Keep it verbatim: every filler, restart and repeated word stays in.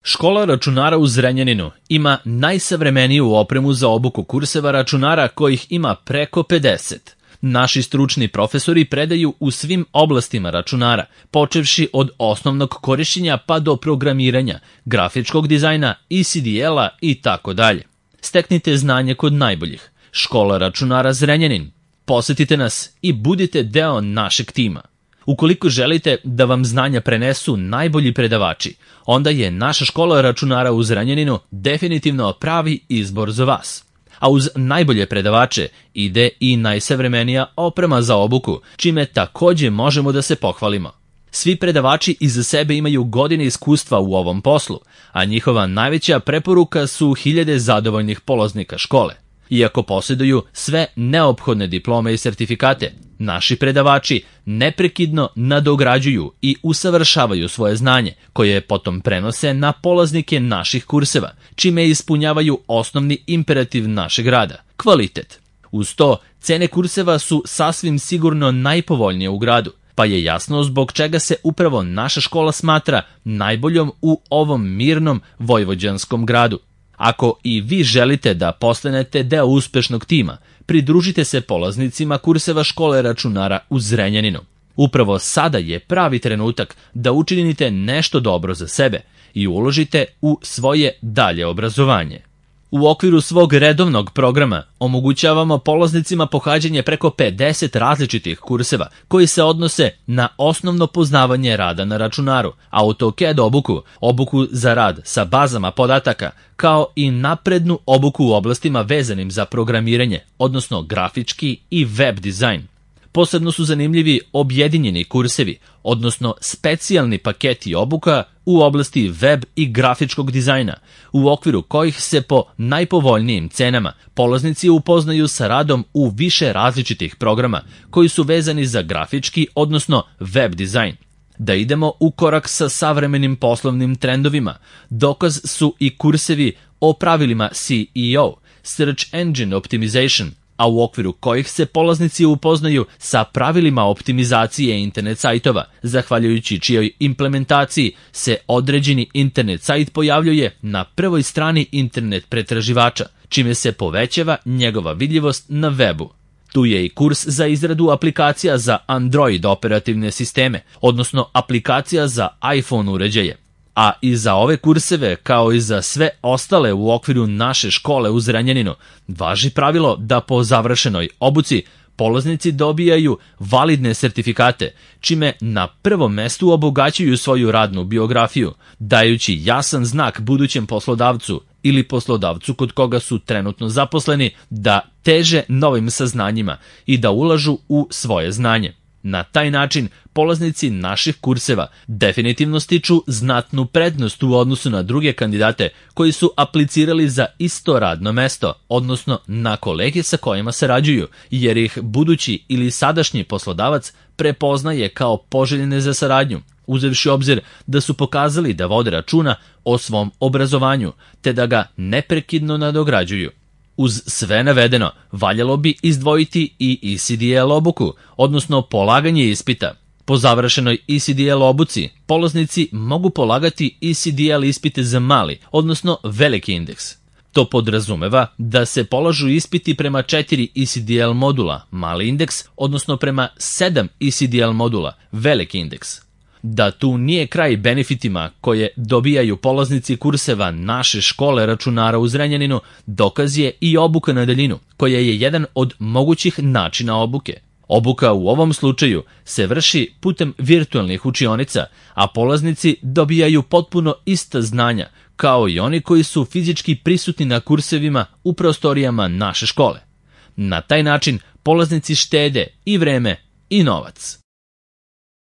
Škola računara u Zrenjaninu ima najsavremeniju opremu za obuku kurseva računara kojih ima preko pedeset. Naši stručni profesori predaju u svim oblastima računara, počevši od osnovnog korišćenja pa do programiranja, grafičkog dizajna, E C D L-a i tako dalje. Steknite znanje kod najboljih. Škola računara Zrenjanin. Posetite nas i budite deo našeg tima. Ukoliko želite da vam znanja prenesu najbolji predavači, onda je naša škola računara u Zrenjaninu definitivno pravi izbor za vas. A uz najbolje predavače ide i najsavremenija oprema za obuku, čime takođe možemo da se pohvalimo. Svi predavači iza sebe imaju godine iskustva u ovom poslu, a njihova najveća preporuka su hiljade zadovoljnih polaznika škole. Iako posjeduju sve neophodne diplome i sertifikate, naši predavači neprekidno nadograđuju i usavršavaju svoje znanje, koje potom prenose na polaznike naših kurseva, čime ispunjavaju osnovni imperativ našeg rada – kvalitet. Uz to, cene kurseva su sasvim sigurno najpovoljnije u gradu, pa je jasno zbog čega se upravo naša škola smatra najboljom u ovom mirnom vojvođanskom gradu. Ako i vi želite da postanete deo uspešnog tima, pridružite se polaznicima kurseva škole računara u Zrenjaninu. Upravo sada je pravi trenutak da učinite nešto dobro za sebe i uložite u svoje dalje obrazovanje. U okviru svog redovnog programa omogućavamo polaznicima pohađanje preko pedeset različitih kurseva koji se odnose na osnovno poznavanje rada na računaru, AutoCAD obuku, obuku za rad sa bazama podataka, kao i naprednu obuku u oblastima vezanim za programiranje, odnosno grafički i web dizajn. Posebno su zanimljivi objedinjeni kursevi, odnosno specijalni paketi obuka u oblasti web i grafičkog dizajna, u okviru kojih se po najpovoljnijim cenama polaznici upoznaju sa radom u više različitih programa koji su vezani za grafički, odnosno web dizajn. Da idemo u korak sa savremenim poslovnim trendovima, dokaz su i kursevi o pravilima C E O, Search Engine Optimization, a u okviru kojih se polaznici upoznaju sa pravilima optimizacije internet sajtova, zahvaljujući čijoj implementaciji se određeni internet sajt pojavljuje na prvoj strani internet pretraživača, čime se povećava njegova vidljivost na webu. Tu je i kurs za izradu aplikacija za Android operativne sisteme, odnosno aplikacija za iPhone uređaje. A i za ove kurseve, kao i za sve ostale u okviru naše škole u Zrenjaninu, važi pravilo da po završenoj obuci polaznici dobijaju validne sertifikate, čime na prvom mestu obogaćuju svoju radnu biografiju, dajući jasan znak budućem poslodavcu ili poslodavcu kod koga su trenutno zaposleni da teže novim saznanjima i da ulažu u svoje znanje. Na taj način, polaznici naših kurseva definitivno stiču znatnu prednost u odnosu na druge kandidate koji su aplicirali za isto radno mesto, odnosno na kolege sa kojima sarađuju, jer ih budući ili sadašnji poslodavac prepoznaje kao poželjne za saradnju, uzevši obzir da su pokazali da vode računa o svom obrazovanju, te da ga neprekidno nadograđuju. Uz sve navedeno, valjalo bi izdvojiti i E C D L obuku, odnosno polaganje ispita. Po završenoj E C D L obuci, polaznici mogu polagati E C D L ispite za mali, odnosno veliki indeks. To podrazumeva da se polažu ispiti prema četiri E C D L modula, mali indeks, odnosno prema sedam E C D L modula, veliki indeks. Da tu nije kraj benefitima koje dobijaju polaznici kurseva naše škole računara u Zrenjaninu, dokaz je i obuka na daljinu, koja je jedan od mogućih načina obuke. Obuka u ovom slučaju se vrši putem virtualnih učionica, a polaznici dobijaju potpuno ista znanja, kao i oni koji su fizički prisutni na kursevima u prostorijama naše škole. Na taj način polaznici štede i vreme i novac.